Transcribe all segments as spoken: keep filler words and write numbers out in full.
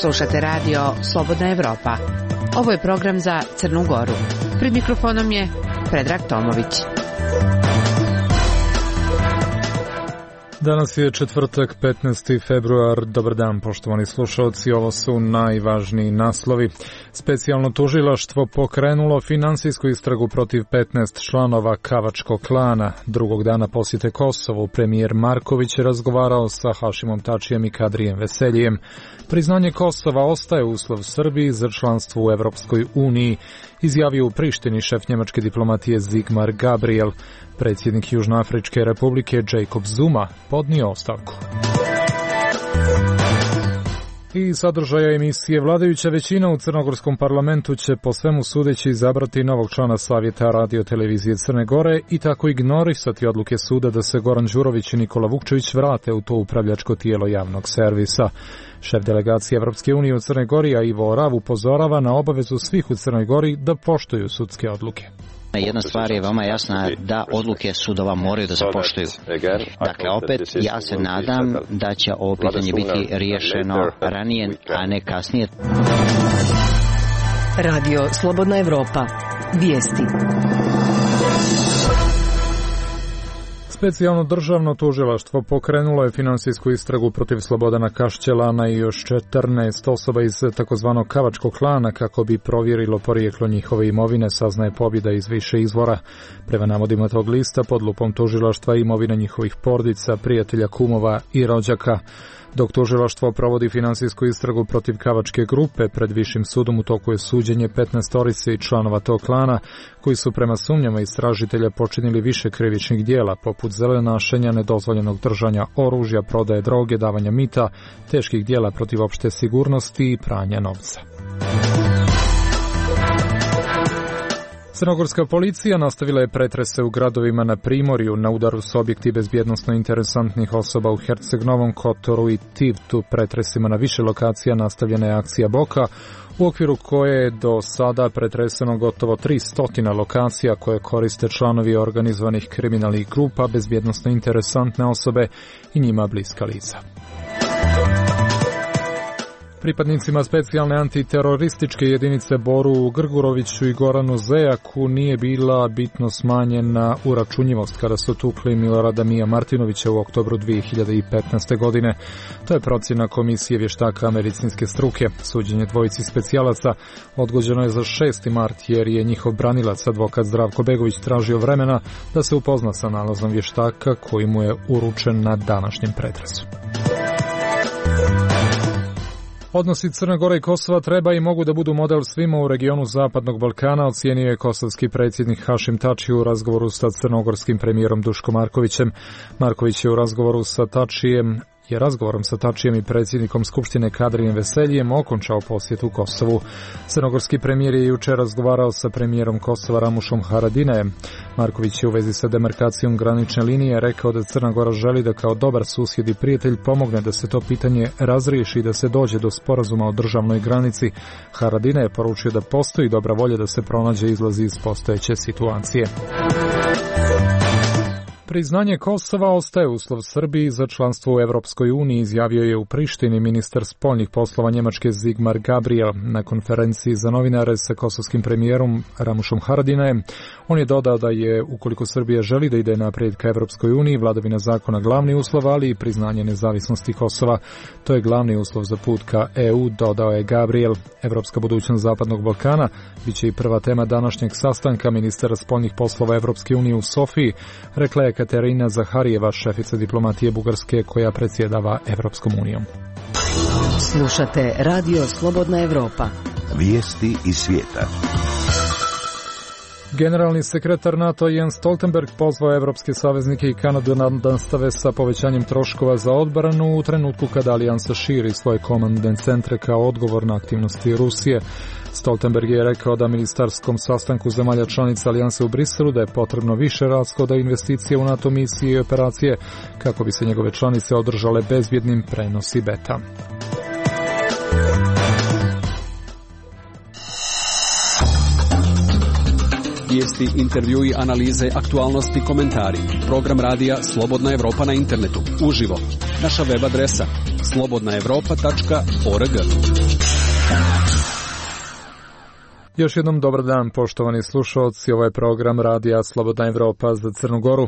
Slušate radio Slobodna Evropa. Ovo je program za Crnu Goru. Pred mikrofonom je Predrag Tomović. Danas je četvrtak, petnaesti februar. Dobar dan, poštovani slušalci. Ovo su najvažniji naslovi. Specijalno tužilaštvo pokrenulo finansijsku istragu protiv petnaest članova Kavačkog klana. Drugog dana posjete Kosovu premijer Marković je razgovarao sa Hašimom Tačijem i Kadrijem Veseljijem. Priznanje Kosova ostaje uslov Srbiji za članstvo u Evropskoj uniji, izjavio u Prištini šef njemačke diplomatije Sigmar Gabriel. Predsjednik Južnoafričke republike Jacob Zuma podnio ostavku. I sadržaja emisije. Vladajuća većina u crnogorskom parlamentu će po svemu sudeći izabrati novog člana Savjeta radio-televizije Crne Gore i tako ignorisati odluke suda da se Goran Đurović i Nikola Vukčević vrate u to upravljačko tijelo javnog servisa. Šef delegacije Evropske unije u Crnoj Gori, a Ivo Orav, upozorava na obavezu svih u Crnoj Gori da poštuju sudske odluke. Jedna stvar je vama jasna, da odluke sudova moraju da se poštuju. Dakle, opet, ja se nadam da će ovo pitanje biti riješeno ranije, a ne kasnije. Radio Slobodna Evropa. Vijesti. Specijalno državno tužilaštvo pokrenulo je finansijsku istragu protiv Slobodana Kašćelana i još četrnaest osoba iz takozvanog Kavačkog klana kako bi provjerilo porijeklo njihove imovine, saznaje Pobjeda iz više izvora. Prema navodima tog lista, pod lupom tužilaštva imovina njihovih porodica, prijatelja, kumova i rođaka. Dok tužilaštvo provodi finansijsku istragu protiv Kavačke grupe, pred višim sudom u toku je suđenje petnaestorice i članova tog klana, koji su prema sumnjama istražitelja počinili više krivičnih dijela, poput zelenašenja, nedozvoljenog držanja oružja, prodaje droge, davanja mita, teških dijela protiv opšte sigurnosti i pranja novca. Crnogorska policija nastavila je pretrese u gradovima na Primorju. Na udaru su objekti bezbjednosno interesantnih osoba u Herceg Novom Kotoru i Tivtu. Pretresima na više lokacija nastavljena je akcija Boka, u okviru koje je do sada pretreseno gotovo tristo lokacija koje koriste članovi organizovanih kriminalnih grupa, bezbjednosno interesantne osobe i njima bliska lica. Pripadnicima specijalne antiterorističke jedinice Boru Grguroviću i Goranu Zejaku nije bila bitno smanjena uračunjivost kada su tukli Milorada Mija Martinovića u oktobru dvije hiljade petnaeste. godine. To je procjena komisije vještaka medicinske struke. Suđenje dvojici specijalaca odgođeno je za šesti mart jer je njihov branilac, advokat Zdravko Begović, tražio vremena da se upozna sa nalazom vještaka koji mu je uručen na današnjem pretresu. Odnosi Crne Gore i Kosova treba i mogu da budu model svima u regionu Zapadnog Balkana, ocijenio je kosovski predsjednik Hašim Tači u razgovoru sa crnogorskim premijerom Duško Markovićem. Marković je u razgovoru sa Tačijem je razgovorom sa Tačijem i predsjednikom Skupštine Kadrijem Veseljijem okončao posjetu Kosovu. Crnogorski premijer je jučer razgovarao sa premijerom Kosova Ramušom Haradinajem. Marković je u vezi sa demarkacijom granične linije rekao da Crna Gora želi da kao dobar susjed i prijatelj pomogne da se to pitanje razriješi i da se dođe do sporazuma o državnoj granici. Haradina je poručio da postoji dobra volja da se pronađe izlazi iz postojeće situacije. Priznanje Kosova ostaje uslov Srbiji za članstvo u Evropskoj uniji, izjavio je u Prištini ministar spoljnih poslova Njemačke Sigmar Gabriel na konferenciji za novinare sa kosovskim premijerom Ramušom Haradinajem. On je dodao da je, ukoliko Srbija želi da ide naprijed ka Evropskoj uniji, vladavina zakona glavni uslov, ali i priznanje nezavisnosti Kosova. To je glavni uslov za put ka E U, dodao je Gabriel. Evropska budućnost Zapadnog Balkana biće i prva tema današnjeg sastanka ministara spoljnih poslova Evropske unije u Sofiji, rekla je Katerina Zaharijeva, šefica diplomatije Bugarske koja predsjedava Evropskom unijom. Slušate Radio Slobodna Evropa. Vijesti iz svijeta. Generalni sekretar NATO Jens Stoltenberg pozvao evropske saveznike i Kanadu da nastave sa povećanjem troškova za odbranu u trenutku kada alijansa širi svoje komandne centre kao odgovor na aktivnosti Rusije. Stoltenberg je rekao da ministarskom sastanku zemalja članica alijanse u Briselu da je potrebno više rashoda investicije u NATO misije i operacije kako bi se njegove članice održale bezbjednim prenosi beta. Vijesti, intervjui, analize, aktualnosti, komentari. Program radija Slobodna Evropa na internetu. Uživo. Naša web adresa slobodna evropa tačka org. Još jednom dobar dan, poštovani slušalci, ovaj program radija Slobodna Evropa za Crnu Goru.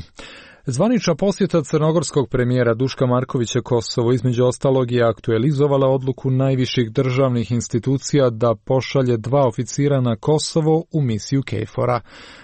Zvanična posjeta crnogorskog premijera Duška Markovića Kosovo između ostalog je aktualizovala odluku najviših državnih institucija da pošalje dva oficira na Kosovo u misiju KFOR-a.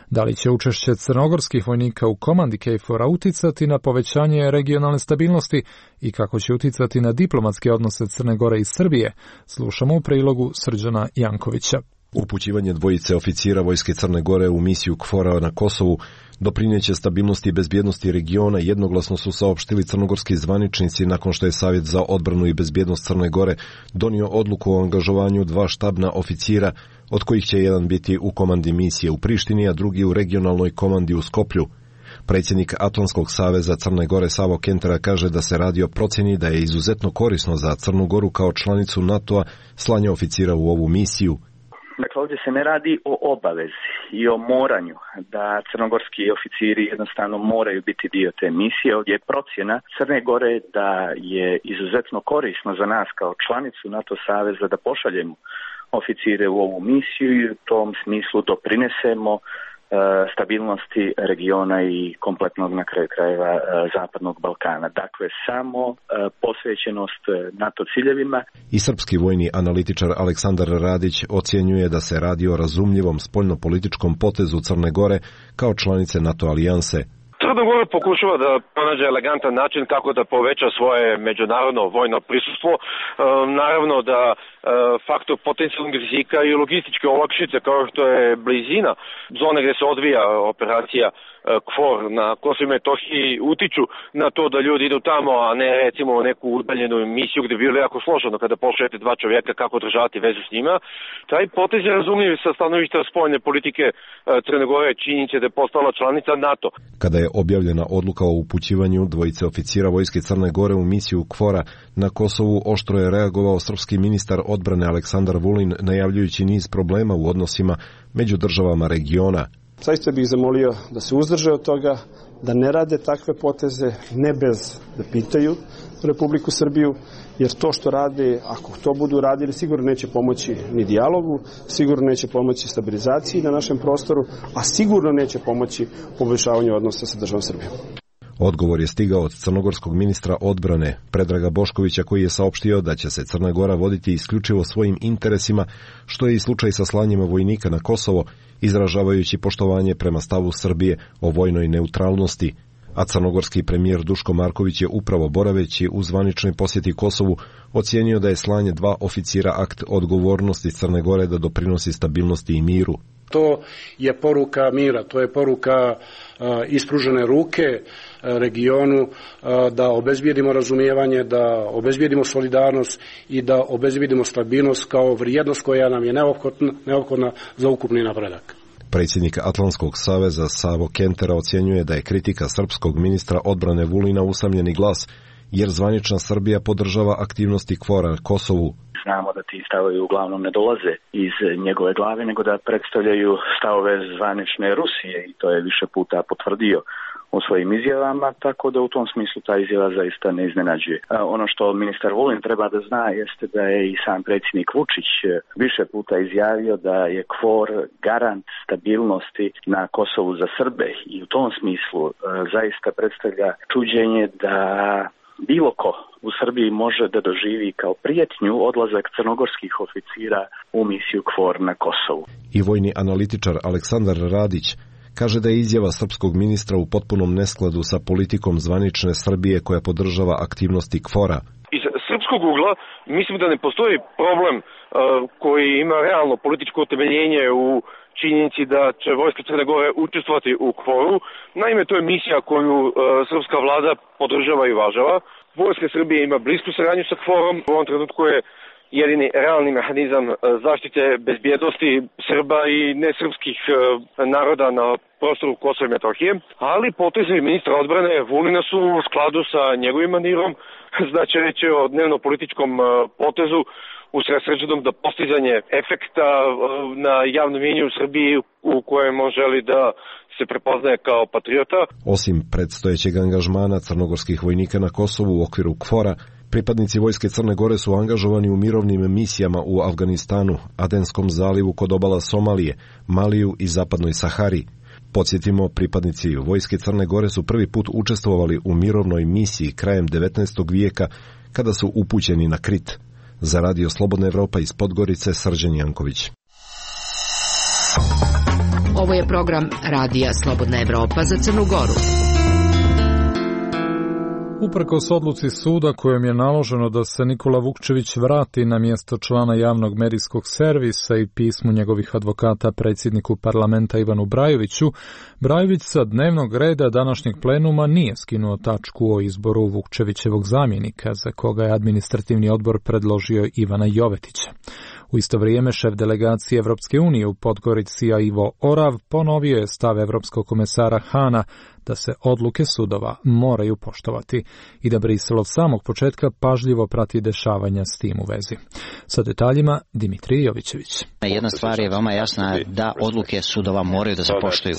Da li će učešće crnogorskih vojnika u komandi KFOR-a uticati na povećanje regionalne stabilnosti i kako će uticati na diplomatske odnose Crne Gore i Srbije, slušamo u prilogu Srđana Jankovića. Upućivanje dvojice oficira vojske Crne Gore u misiju KFOR-a na Kosovu doprineće stabilnosti i bezbjednosti regiona, jednoglasno su saopštili crnogorski zvaničnici nakon što je Savjet za odbranu i bezbjednost Crne Gore donio odluku o angažovanju dva štabna oficira, od kojih će jedan biti u komandi misije u Prištini, a drugi u regionalnoj komandi u Skoplju. Predsjednik Atlantskog saveza Crne Gore Savo Kentera kaže da se radi o procjeni da je izuzetno korisno za Crnu Goru kao članicu NATO-a slanje oficira u ovu misiju. Dakle, ovdje se ne radi o obavezi i o moranju da crnogorski oficiri jednostavno moraju biti dio te misije. Ovdje je procjena Crne Gore da je izuzetno korisno za nas kao članicu NATO saveza da pošaljemo oficire u ovu misiju i u tom smislu doprinesemo stabilnosti regiona i kompletnog na kraju krajeva Zapadnog Balkana. Dakle, samo posvećenost NATO ciljevima. I srpski vojni analitičar Aleksandar Radić ocjenjuje da se radi o razumljivom spoljnopolitičkom potezu Crne Gore kao članice NATO alijanse. Crna Gora pokušava da pronađe elegantan način kako da poveća svoje međunarodno vojno prisustvo. E, naravno da e, faktor potencijalnog rizika i logističke olakšice kao što je blizina zone gdje se odvija operacija KFOR na Kosovu i Metohiji utiču na to da ljudi idu tamo, a ne recimo u neku udaljenu misiju gdje bi bilo jako složeno kada pošaljete dva čovjeka kako održavati vezu s njima. Taj potez je razumljiv sa stanovišta spoljne politike Crne Gore, činjenica da je postala članica NATO. Kada je objavljena odluka o upućivanju dvojice oficira vojske Crne Gore u misiju KFOR-a na Kosovu, oštro je reagovao srpski ministar odbrane Aleksandar Vulin, najavljujući niz problema u odnosima među državama regiona. Zaista bih zamolio da se uzdrže od toga, da ne rade takve poteze, ne bez da pitaju Republiku Srbiju, jer to što rade, ako to budu radili, sigurno neće pomoći ni dijalogu, sigurno neće pomoći stabilizaciji na našem prostoru, a sigurno neće pomoći poboljšavanju odnosa sa državom Srbijom. Odgovor je stigao od crnogorskog ministra odbrane Predraga Boškovića, koji je saopštio da će se Crna Gora voditi isključivo svojim interesima, što je i slučaj sa slanjima vojnika na Kosovo, izražavajući poštovanje prema stavu Srbije o vojnoj neutralnosti. A crnogorski premijer Duško Marković je upravo boraveći u zvaničnoj posjeti Kosovu ocijenio da je slanje dva oficira akt odgovornosti Crne Gore da doprinosi stabilnosti i miru. To je poruka mira, to je poruka uh, ispružene ruke uh, regionu uh, da obezbijedimo razumijevanje, da obezbijedimo solidarnost i da obezbijedimo stabilnost kao vrijednost koja nam je neophodna, neophodna za ukupni napredak. Predsjednik Atlantskog saveza Savo Kentera ocjenjuje da je kritika srpskog ministra odbrane Vulina usamljeni glas, jer zvanična Srbija podržava aktivnosti KFOR-a na Kosovu. Znamo da ti stavovi uglavnom ne dolaze iz njegove glave, nego da predstavljaju stavove zvanične Rusije i to je više puta potvrdio u svojim izjavama, tako da u tom smislu ta izjava zaista ne iznenađuje. Ono što ministar Vulin treba da zna jeste da je i sam predsjednik Vučić više puta izjavio da je KFOR garant stabilnosti na Kosovu za Srbe i u tom smislu zaista predstavlja čuđenje da bilo ko u Srbiji može da doživi kao prijetnju odlazak crnogorskih oficira u misiju KFOR na Kosovu. I vojni analitičar Aleksandar Radić kaže da je izjava srpskog ministra u potpunom neskladu sa politikom zvanične Srbije koja podržava aktivnosti KFOR-a. Iz srpskog ugla mislim da ne postoji problem uh, koji ima realno političko utemeljenje u činjenici da će vojska Crne Gore učestvovati u KFOR-u. Naime, to je misija koju uh, srpska vlada podržava i uvažava. Vojska Srbije ima blisku saradnju sa KFOR-om. U ovom trenutku je jedini realni mehanizam zaštite bezbjednosti Srba i nesrpskih naroda na prostoru Kosova i Metohije, ali potezovi ministra odbrane Vulina su u skladu sa njegovim manirom, znači reći o dnevno-političkom potezu usredsređenom da postizanje efekta na javnom mjenju u Srbiji u kojem on želi da se prepoznaje kao patriota. Osim predstojećeg angažmana crnogorskih vojnika na Kosovu u okviru KFOR-a, pripadnici vojske Crne Gore su angažovani u mirovnim misijama u Afganistanu, Adenskom zalivu kod obala Somalije, Maliju i Zapadnoj Sahari. Podsjetimo, pripadnici vojske Crne Gore su prvi put učestvovali u mirovnoj misiji krajem devetnaestog vijeka kada su upućeni na Krit. Za Radio Slobodna Evropa iz Podgorice, Srđan Janković. Ovo je program Radija Slobodna Evropa za Crnu Goru. Uprkos odluci suda kojom je naloženo da se Nikola Vukčević vrati na mjesto člana javnog medijskog servisa i pismu njegovih advokata predsjedniku parlamenta Ivanu Brajoviću, Brajović sa dnevnog reda današnjeg plenuma nije skinuo tačku o izboru Vukčevićevog zamjenika, za koga je administrativni odbor predložio Ivana Jovetića. U isto vrijeme šef delegacije Evropske unije u Podgorici Ivo Orav ponovio je stav evropskog komesara Hana da se odluke sudova moraju poštovati i da Brisel od samog početka pažljivo prati dešavanja s tim u vezi. Sa detaljima Dimitrij Jovićević. Jedna stvar je veoma jasna, da odluke sudova moraju da se poštuju.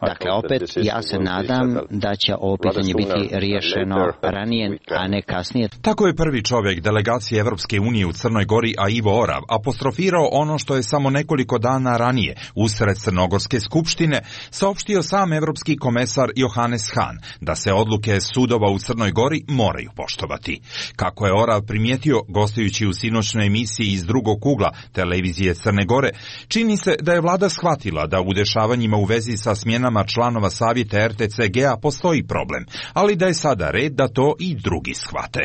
Dakle, opet, ja se nadam da će ovo pitanje biti riješeno ranije, a ne kasnije. Tako je prvi čovjek delegacije Evropske unije u Crnoj Gori, a Ivo Orav, apostrofirao ono što je samo nekoliko dana ranije, usred Crnogorske skupštine, saopštio sam evropski komesar Johannes Hahn, da se odluke sudova u Crnoj Gori moraju poštovati. Kako je Orav primijetio, gostujući u sinoćnoj emisiji iz drugog ugla televizije Crne Gore, čini se da je vlada shvatila da u dešavanjima u vezi sa smjenama članova savjeta er te ce ge a postoji problem, ali da je sada red da to i drugi shvate.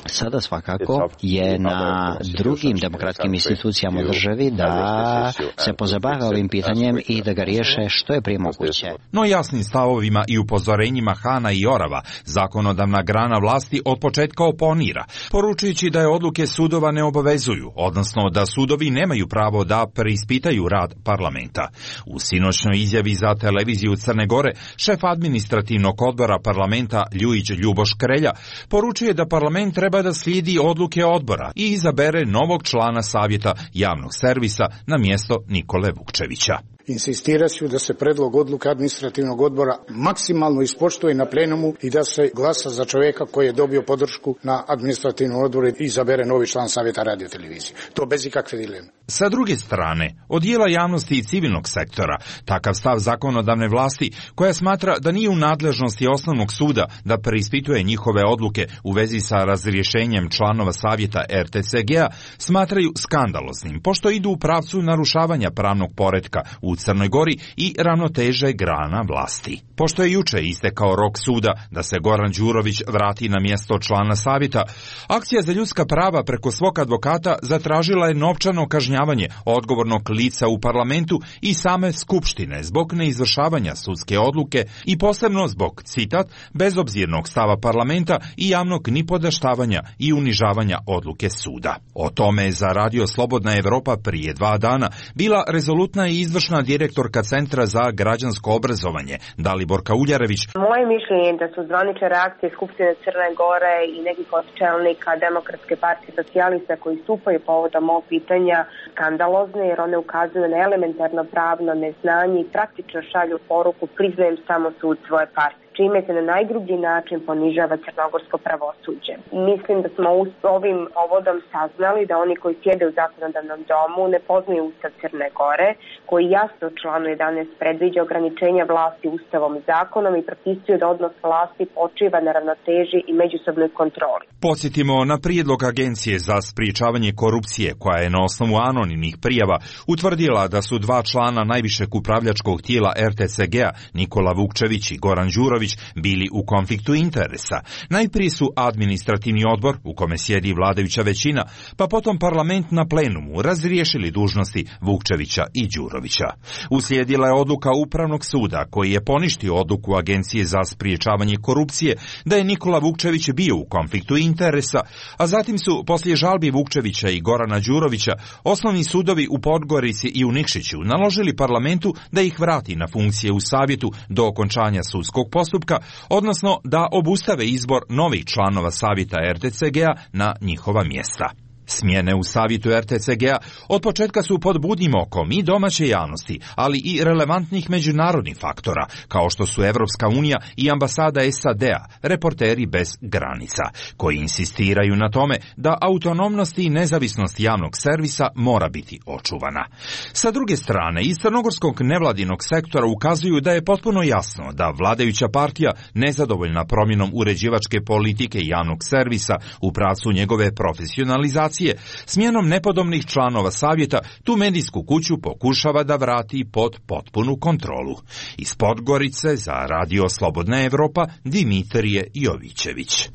Sada svakako je na drugim demokratskim institucijama u državi da se pozabave ovim pitanjem i da ga riješe što je prije moguće. No jasnim stavovima i upozorenjima Hana i Orava, zakonodavna grana vlasti od početka oponira, poručujući da je odluke sudova ne obavezuju, odnosno da sudovi nemaju pravo da preispitaju rad parlamenta. U sinoćnoj izjavi za televiziju Crne Gore, šef administrativnog odbora parlamenta Ljujić Ljuboš Krelja poručuje da parlament treba da slijedi odluke odbora i izabere novog člana savjeta javnog servisa na mjesto Nikole Vukčevića. Insistiraju da se predlog odluke administrativnog odbora maksimalno ispoštuje na plenumu i da se glasa za čovjeka koji je dobio podršku na administrativnom odboru i izabere novi član savjeta radiotelevizije. To bez ikakve dileme. Sa druge strane, od dijela javnosti i civilnog sektora, takav stav zakonodavne vlasti, koja smatra da nije u nadležnosti osnovnog suda da preispituje njihove odluke u vezi sa razrješenjem članova savjeta er te ce ge a, smatraju skandaloznim, pošto idu u pravcu narušavanja pravnog poretka u Crnoj Gori i ravnoteže grana vlasti. Pošto je juče istekao rok suda da se Goran Đurović vrati na mjesto člana savjeta, Akcija za ljudska prava preko svog advokata zatražila je novčano kažnjavanje odgovornog lica u parlamentu i same skupštine zbog neizvršavanja sudske odluke i posebno zbog, citat, bezobzirnog stava parlamenta i javnog nipodaštavanja i unižavanja odluke suda. O tome je za Radio Slobodna Evropa prije dva dana bila rezolutna i izvršna direktorka Centra za građansko obrazovanje Daliborka Uljarević. Moje mišljenje je da su zvanične reakcije Skupštine Crne Gore i nekih od čelnika Demokratske partije socijalista koji stupaju povodom ovog pitanja skandalozne, jer one ukazuju na elementarno pravno neznanje i praktično šalju poruku priznajem samo sud svoje partije, čime se na najgrublji način ponižava crnogorsko pravosuđe. Mislim da smo ovim povodom saznali da oni koji sjede u zakonodavnom domu ne poznaju Ustav Crne Gore, koji jasno u članu jedanaest predviđa ograničenja vlasti Ustavom i zakonom i propisuje da odnos vlasti počiva na ravnoteži i međusobnoj kontroli. Podsjetimo na prijedlog Agencije za sprječavanje korupcije, koja je na osnovu anonimnih prijava utvrdila da su dva člana najvišeg upravljačkog tijela er te ce ge a, Nikola Vukčević i Goran Đurović, Velimirović bili u konfliktu interesa. Najprije su administrativni odbor, u kome sjedi vladajuća većina, pa potom parlament na plenumu razriješili dužnosti Vukčevića i Đurovića. Uslijedila je odluka Upravnog suda, koji je poništio odluku Agencije za spriječavanje korupcije da je Nikola Vukčević bio u konfliktu interesa, a zatim su poslije žalbi Vukčevića i Gorana Đurovića osnovni sudovi u Podgorici i u Nikšiću naložili parlamentu da ih vrati na funkcije u savjetu do okončanja sudskog postupka, odnosno da obustave izbor novih članova savjeta er te ce ge-a na njihova mjesta. Smjene u savjetu er te ce ge-a od početka su pod budnim okom i domaće javnosti, ali i relevantnih međunarodnih faktora, kao što su Evropska unija i ambasada es a de-a, Reporteri bez granica, koji insistiraju na tome da autonomnost i nezavisnost javnog servisa mora biti očuvana. Sa druge strane, iz crnogorskog nevladinog sektora ukazuju da je potpuno jasno da vladajuća partija, nezadovoljna promjenom uređivačke politike javnog servisa u pravcu njegove profesionalizacije, smjenom nepodobnih članova savjeta, tu medijsku kuću pokušava da vrati pod potpunu kontrolu. Iz Podgorice za Radio Slobodna Evropa, Dimitrije Jovićević.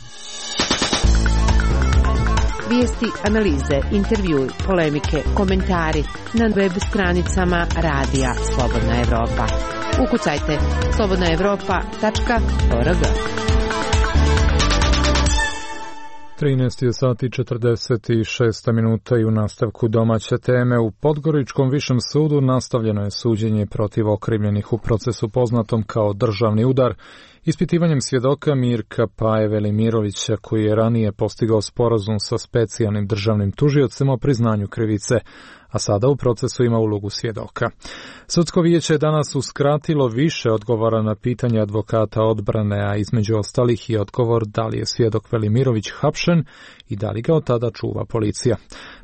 Vijesti, analize, intervjui, polemike, komentari na web stranicama Radija Slobodna Evropa. Ukucajte slobodna evropa tačka org. trinaest sati četrdeset šest minuta i u nastavku domaće teme u Podgoričkom višem sudu nastavljeno je suđenje protiv okrivljenih u procesu poznatom kao državni udar, ispitivanjem svjedoka Mirka Paje Velimirovića, koji je ranije postigao sporazum sa specijalnim državnim tužiocem o priznanju krivice, a sada u procesu ima ulogu svjedoka. Sudsko vijeće je danas uskratilo više odgovora na pitanje advokata odbrane, a između ostalih i odgovor da li je svjedok Velimirović hapšen i da li ga od tada čuva policija.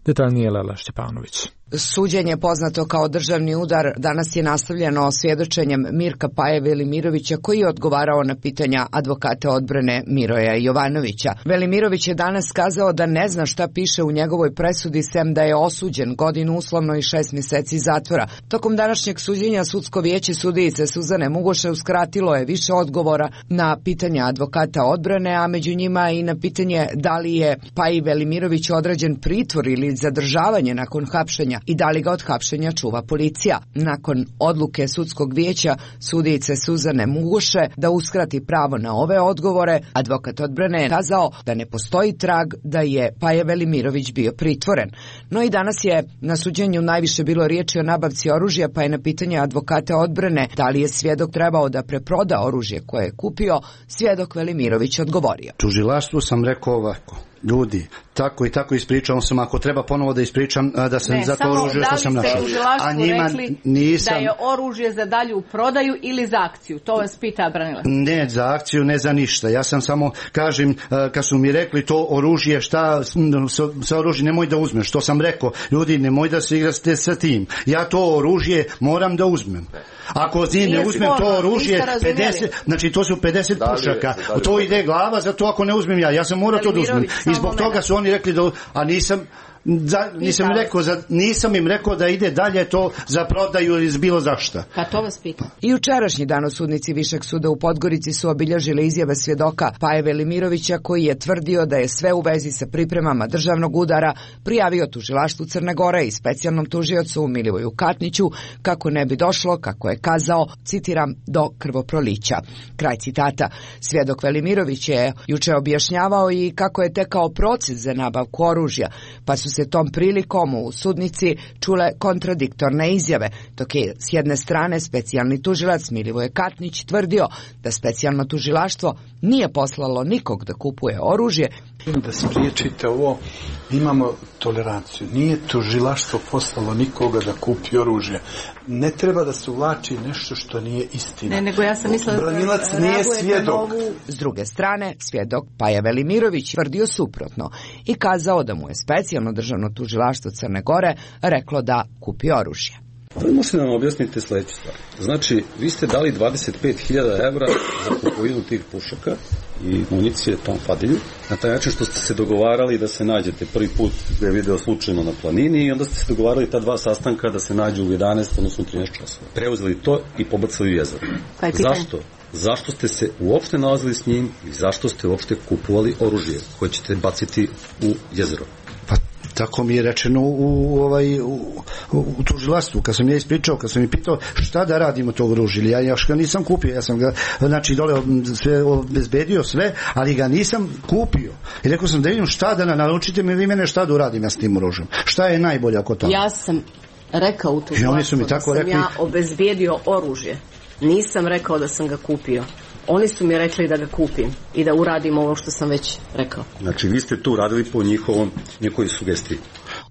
Detaljnije Lela Šćepanović. Suđenje poznato kao državni udar danas je nastavljeno svjedočenjem Mirka Paje Velimirovića, koji je odgovarao na pitanja advokata odbrane Miroja Jovanovića. Velimirović je danas kazao da ne zna šta piše u njegovoj presudi, sem da je osuđen godinu uslovno i šest mjeseci zatvora. Tokom današnjeg suđenja sudsko vijeće sudijice Suzane Mugoše uskratilo je više odgovora na pitanja advokata odbrane, a među njima i na pitanje da li je Paji Velimirović određen pritvor ili zadržavanje nakon hapšenja i da li ga od hapšenja čuva policija. Nakon odluke sudskog vijeća sudijice Suzane Mugoše da uskrati pravo na ove odgovore, advokat odbrane je kazao da ne postoji trag da je Paja Velimirović bio pritvoren. No i danas je na suđenju najviše bilo riječi o nabavci oružja, pa je na pitanje advokata odbrane da li je svjedok trebao da preproda oružje koje je kupio, svjedok Velimirović odgovorio. Tužilaštvu sam rekao ovako: ljudi, tako i tako ispričao sam, ako treba ponovo da ispričam da sam ne, za to oružje što sam našao. A njima rekli nisam... da je oružje za dalju prodaju ili za akciju? To vas pita branilac. Ne za akciju, ne za ništa. Ja sam samo, kažem, kad su mi rekli to oružje, šta sa oružje nemoj da uzmeš. Što sam rekao, ljudi, nemoj da se igrate sa tim. Ja to oružje moram da uzmem. Ako ne uzmem to oružje, pedeset, znači to su pedeset pušaka. To ide glava, zato ako ne uzmem ja. Ja sam morao to da uzmem. I zbog toga su oni rekli da, a nisam, za, nisam, im rekao, za, nisam im rekao da ide dalje to za prodaju ili bilo zašta. Pa to vas pitam. I jučerašnji dan sudnici Višeg suda u Podgorici su obilježili izjave svjedoka Paje Velimirovića, koji je tvrdio da je sve u vezi sa pripremama državnog udara prijavio tužilaštvu Crne Gore i specijalnom tužiocu Milivoju Katniću, kako ne bi došlo, kako je kazao, citiram, do krvoprolića. Kraj citata. Svjedok Velimirović je juče objašnjavao i kako je tekao proces za nabavku oružja, pa su se tom prilikom u sudnici čule kontradiktorne izjave, dok je s jedne strane specijalni tužilac Milivoje Katnić tvrdio da specijalno tužilaštvo nije poslalo nikog da kupuje oružje. Da spriječite ovo, imamo toleranciju. Nije tužilaštvo poslalo nikoga da kupi oružje. Ne treba da se uvlači nešto što nije istina. Ne, nego ja sam mislila da branilac nije svjedok. Novu... S druge strane, svjedok Paja Velimirović tvrdio suprotno i kazao da mu je specijalno državno tužilaštvo Crne Gore reklo da kupi oružje. Možete nam objasniti sljedeću stvar. Znači, vi ste dali dvadeset pet hiljada evra za kupovinu tih pušaka i municije tom Fadilju, na taj način što ste se dogovarali da se nađete prvi put da je video slučajno na planini i onda ste se dogovarali ta dva sastanka da se nađu u jedanaest, odnosno trinaest časova. Preuzeli to i pobacili u jezero. Zašto? Zašto ste se uopšte nalazili s njim i zašto ste uopšte kupovali oružje koje ćete baciti u jezero? Pa tako mi je rečeno u, ovaj, u, u tužilaštvu, kad sam ja ispričao, kad sam mi pitao šta da radimo to oružje, ja još ga nisam kupio, ja sam ga, znači dole sve obezbedio sve, ali ga nisam kupio. I rekao sam da vidim šta da naučite mi vi mene šta da uradim ja s tim oružjem. Šta je najbolje oko toga? Ja sam rekao u tužilaštvu da sam rekli... ja obezbedio oružje. Nisam rekao da sam ga kupio. Oni su mi rekli da ga kupim i da uradim ovo što sam već rekao. Znači vi ste tu radili po njihovom, njihovoj sugestiji.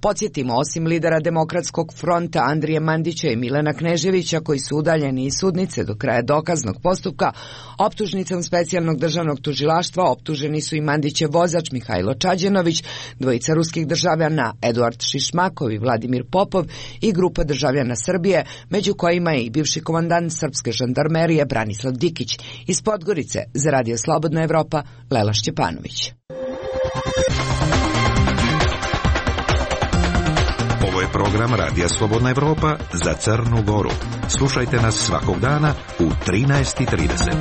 Podsjetimo, osim lidera Demokratskog fronta Andrije Mandića i Milana Kneževića, koji su udaljeni iz sudnice do kraja dokaznog postupka, optužnicom specijalnog državnog tužilaštva optuženi su i Mandićev vozač Mihajlo Čađenović, dvojica ruskih državljana Eduard Šišmakov i Vladimir Popov i grupa državljana Srbije, među kojima je i bivši komandant srpske žandarmerije Branislav Dikić. Iz Podgorice za Radio Slobodna Evropa, Lela Šćepanović. Ovo je program Radija Slobodna Evropa za Crnu Goru. Slušajte nas svakog dana u trinaest i trideset.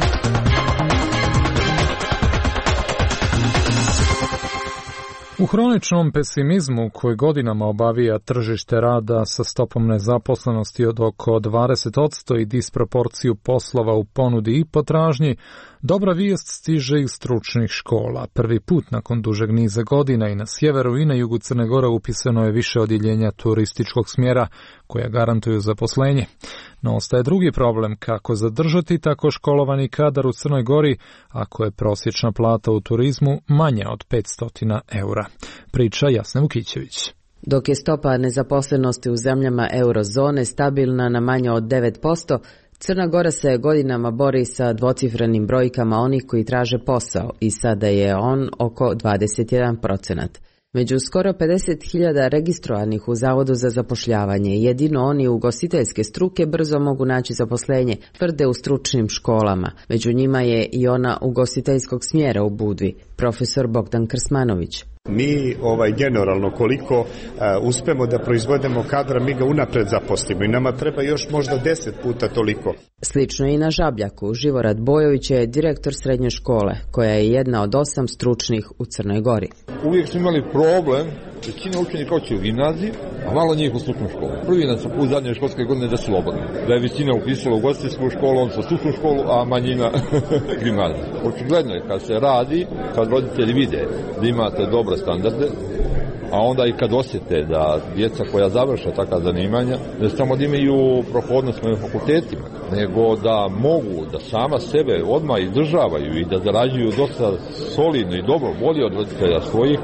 U hroničnom pesimizmu koji godinama obavija tržište rada sa stopom nezaposlenosti od oko dvadeset posto i disproporciju poslova u ponudi i potražnji, dobra vijest stiže iz stručnih škola. Prvi put nakon dužeg niza godina i na sjeveru i na jugu Crne Gore upisano je više odjeljenja turističkog smjera koja garantuju zaposlenje. No ostaje drugi problem, kako zadržati tako školovani kadar u Crnoj Gori ako je prosječna plata u turizmu manja od petsto eura. Priča Jasna Vukićević. Dok je stopa nezaposlenosti u zemljama eurozone stabilna na manje od devet posto, Crna Gora se godinama bori sa dvocifrenim brojkama onih koji traže posao i sada je on oko dvadeset jedan procenat. Među skoro pedeset hiljada registrovanih u Zavodu za zapošljavanje, jedino oni ugostiteljske struke brzo mogu naći zaposlenje, tvrde u stručnim školama. Među njima je i ona ugostiteljskog smjera u Budvi, profesor Bogdan Krsmanović. Mi ovaj, generalno koliko uh, uspemo da proizvodimo kadra, mi ga unapred zaposlimo i nama treba još možda deset puta toliko. Slično i na Žabljaku. Živorad Bojović je direktor srednje škole, koja je jedna od osam stručnih u Crnoj Gori. Uvijek smo imali problem, većina učenika hoće u gimnaziji, a malo njih u stručnu školu. Prvi dan su u zadnje školske godine da su slobodni. Da je većina upisala u ugostiteljsku školu, on sa stručnu školu, a manjina gimnaziju. Očigledno je kad se radi, kad roditelji vide da imate dobre standarde, a onda i kad osjete da djeca koja završe takva zanimanja, ne samo da imaju prohodnost na fakultetima, nego da mogu da sama sebe odmah izdržavaju i da zarađuju dosta solidno i dobro, bolje od roditelja svojih,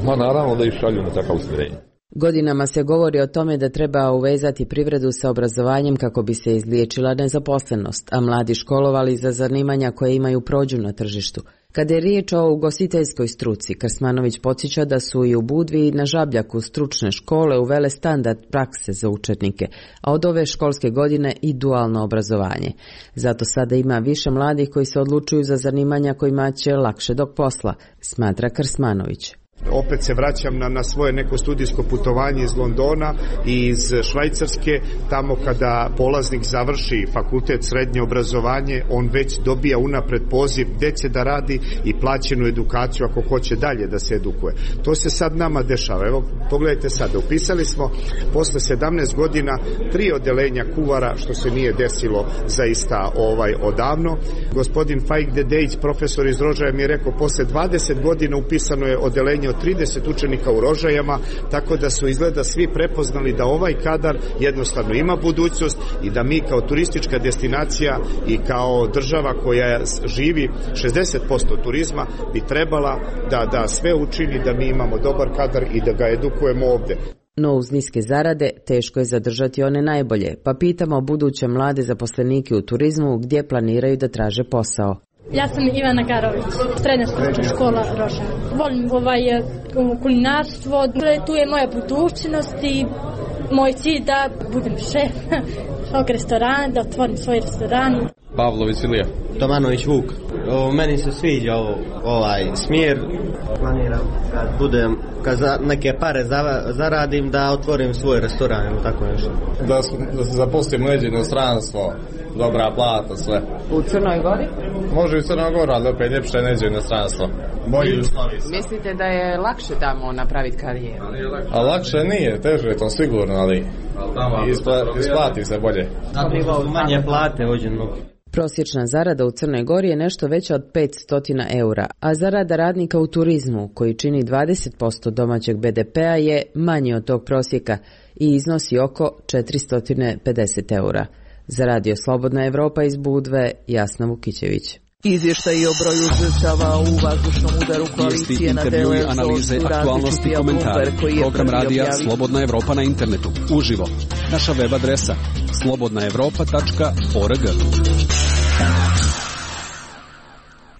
ma naravno da ih šalju na takav usmjerenje. Godinama se govori o tome da treba uvezati privredu sa obrazovanjem kako bi se izliječila nezaposlenost, a mladi školovali za zanimanja koje imaju prođu na tržištu. Kada je riječ o ugostiteljskoj struci, Krsmanović podsjeća da su i u Budvi i na Žabljaku stručne škole uvele standard prakse za učenike, a od ove školske godine i dualno obrazovanje. Zato sada ima više mladih koji se odlučuju za zanimanja kojima će lakše dok posla, smatra Krsmanović. Opet se vraćam na, na svoje neko studijsko putovanje iz Londona i iz Švajcarske. Tamo kada polaznik završi fakultet srednje obrazovanje, on već dobija unapred poziv gdje će da radi i plaćenu edukaciju ako hoće dalje da se edukuje. To se sad nama dešava. Evo, pogledajte sada, upisali smo posle sedamnaest godina tri odelenja kuvara, što se nije desilo zaista ovaj odavno. Gospodin Fajk Dedejić, profesor iz Rožaja, mi je rekao posle dvadeset godina upisano je odelenje od trideset učenika u Rožajama, tako da su izgleda svi prepoznali da ovaj kadar jednostavno ima budućnost i da mi kao turistička destinacija i kao država koja živi šezdeset posto turizma bi trebala da, da sve učini da mi imamo dobar kadar i da ga edukujemo ovde. No uz niske zarade teško je zadržati one najbolje, pa pitamo buduće mlade zaposlenike u turizmu gdje planiraju da traže posao. Ja sam Ivana Garović, srednja stručna škola Rožaja. Volim ovaj kulinarstvo, tu je moja budućnost i moj cilj da budem šef svog restorana, da otvorim svoj restoran. Pavlović Ilija. Tomanović Vuk. O, meni se sviđa ovo, ovaj smjer. Planiram kad budem, kad za neke pare za, zaradim da otvorim svoj restoran ili tako nešto. Da, da se zaposlim u inostranstvo, dobra plata, sve. U Crnoj Gori? Može i u Crnoj Gori, ali opet ljepše neđe u inostranstvo. Bolji uslovi. Mislite da je lakše tamo napraviti karijeru? A lakše nije, teže je to sigurno, ali ispla, isplati se bolje. Manje plate hođe mnogi. Prosječna zarada u Crnoj Gori je nešto veća od petsto eura, a zarada radnika u turizmu, koji čini dvadeset posto domaćeg be de pea, je manji od tog prosjeka i iznosi oko četiristo pedeset eura. Za Radio Slobodna Evropa iz Budve, Jasna Vukićević. Izvještaj o broju žrtava u vazdušnom udaru koalicije na delu analize, aktualnosti i komentari. Program radija Slobodna Evropa na internetu. Uživo. Naša web adresa slobodna evropa tačka org.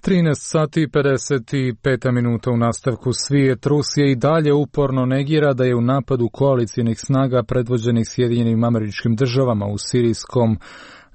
trinaest sati i pedeset pet minuta u nastavku. Svijet. Rusija i dalje uporno negira da je u napadu koalicijnih snaga predvođenih Sjedinjenim Američkim Državama u sirijskom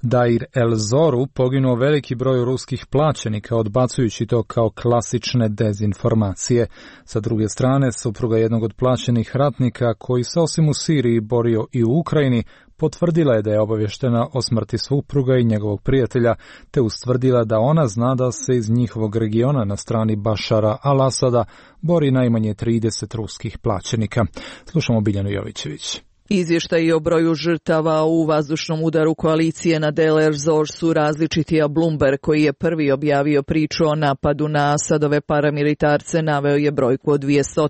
Dair el-Zoru poginuo veliki broj ruskih plaćenika, odbacujući to kao klasične dezinformacije. Sa druge strane, supruga jednog od plaćenih ratnika, koji se osim u Siriji borio i u Ukrajini, potvrdila je da je obavještena o smrti supruga i njegovog prijatelja, te ustvrdila da ona zna da se iz njihovog regiona na strani Bašara al-Asada bori najmanje trideset ruskih plaćenika. Slušamo Biljanu Jovićević. Izvještaji o broju žrtava u vazdušnom udaru koalicije na Deir el-Zor su različiti, a Bloomberg, koji je prvi objavio priču o napadu na Asadove paramilitarce, naveo je brojku od dvjesto.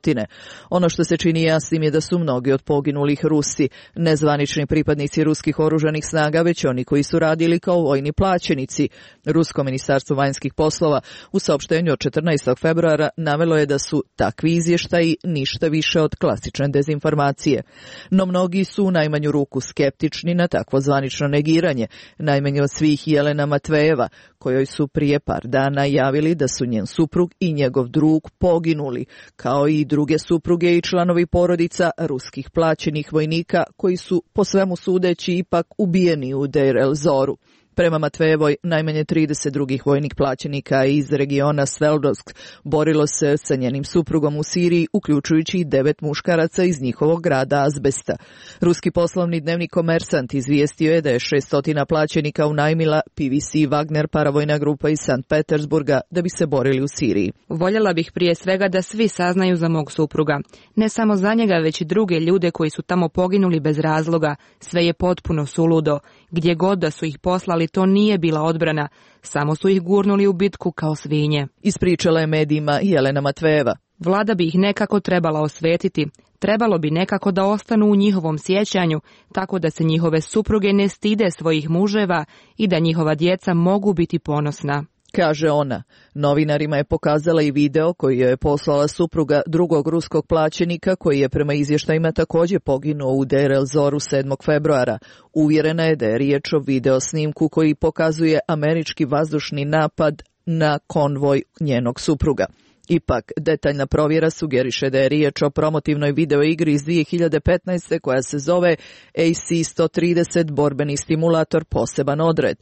Ono što se čini jasnim je da su mnogi od poginulih Rusi, nezvanični pripadnici ruskih oružanih snaga, već oni koji su radili kao vojni plaćenici. Rusko ministarstvo vanjskih poslova u saopštenju od četrnaestog februara navelo je da su takvi izvještaji ništa više od klasične dezinformacije. No mnogo Mnogi su u najmanju ruku skeptični na takvo zvanično negiranje, najmanje od svih Jelena Matvejeva, kojoj su prije par dana javili da su njen suprug i njegov drug poginuli, kao i druge supruge i članovi porodica ruskih plaćenih vojnika koji su po svemu sudeći ipak ubijeni u Deir el-Zoru. Prema Matvejevoj, najmanje trideset drugih vojnih plaćenika iz regiona Sveldovsk borilo se sa njenim suprugom u Siriji, uključujući i devet muškaraca iz njihovog grada Azbesta. Ruski poslovni dnevnik Komersant izvijestio je da je šesto plaćenika unajmila P V C Wagner paravojna grupa iz Sankt Petersburga da bi se borili u Siriji. Voljela bih prije svega da svi saznaju za mog supruga. Ne samo za njega, već i druge ljude koji su tamo poginuli bez razloga. Sve je potpuno suludo. Gdje god da su ih poslali, to nije bila odbrana, samo su ih gurnuli u bitku kao svinje. Ispričala je medijima Jelena Matvejeva. Vlada bi ih nekako trebala osvetiti. Trebalo bi nekako da ostanu u njihovom sjećanju, tako da se njihove supruge ne stide svojih muževa i da njihova djeca mogu biti ponosna. Kaže ona. Novinarima je pokazala i video koji je poslala supruga drugog ruskog plaćenika, koji je prema izvještajima također poginuo u Deir el-Zoru sedmog februara. Uvjerena je da je riječ o video snimku koji pokazuje američki vazdušni napad na konvoj njenog supruga. Ipak, detaljna provjera sugeriše da je riječ o promotivnoj videoigri iz dvije hiljade petnaeste koja se zove A C sto trideset borbeni stimulator poseban odred.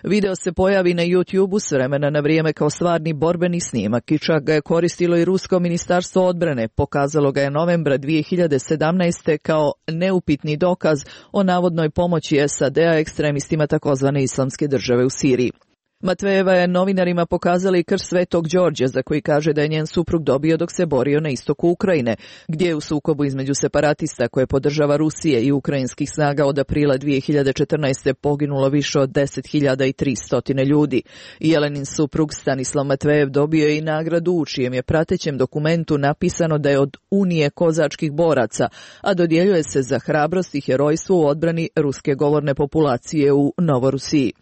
Video se pojavi na YouTubeu s vremena na vrijeme kao stvarni borbeni snimak i čak ga je koristilo i Rusko ministarstvo odbrane. Pokazalo ga je novembra dvije hiljade sedamnaeste kao neupitni dokaz o navodnoj pomoći S A D-a ekstremistima takozvane islamske države u Siriji. Matvejeva je novinarima pokazala i krst Svetog Đorđa, za koji kaže da je njen suprug dobio dok se borio na istoku Ukrajine, gdje je u sukobu između separatista koje podržava Rusije i ukrajinskih snaga od aprila dvije hiljade četrnaeste poginulo više od deset hiljada tristo ljudi. Jelenin suprug Stanislav Matvejev dobio je i nagradu u čijem je pratećem dokumentu napisano da je od Unije kozačkih boraca, a dodjeljuje se za hrabrost i herojstvo u odbrani ruske govorne populacije u Novorusiji.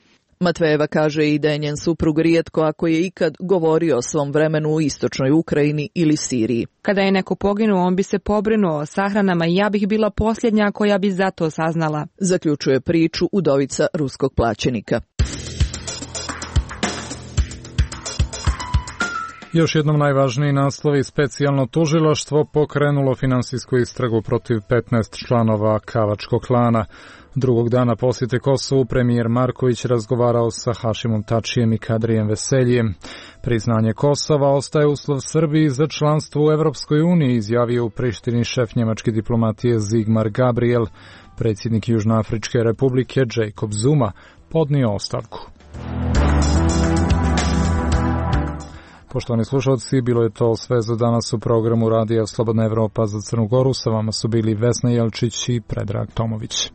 Matvejeva kaže i da je njen suprug rijetko ako je ikad govorio o svom vremenu u istočnoj Ukrajini ili Siriji. Kada je neko poginuo, on bi se pobrinuo o sahranama i ja bih bila posljednja koja bi za to saznala. Zaključuje priču udovica ruskog plaćenika. Još jednom najvažniji naslovi: specijalno tužilaštvo pokrenulo finansijsku istragu protiv petnaest članova Kavačkog klana. Drugog dana posjete Kosovu premijer Marković razgovarao sa Hašimom Tačijem i Kadrijem Veseljijem. Priznanje Kosova ostaje uslov Srbiji za članstvo u Evropskoj uniji, izjavio u Prištini šef njemačke diplomatije Zigmar Gabriel. Predsjednik Južnoafričke republike Jacob Zuma podnio ostavku. Poštovani slušalci, bilo je to sve za danas u programu Radija Slobodna Evropa za Crnu Goru. Sa vama su bili Vesna Jelčić i Predrag Tomović.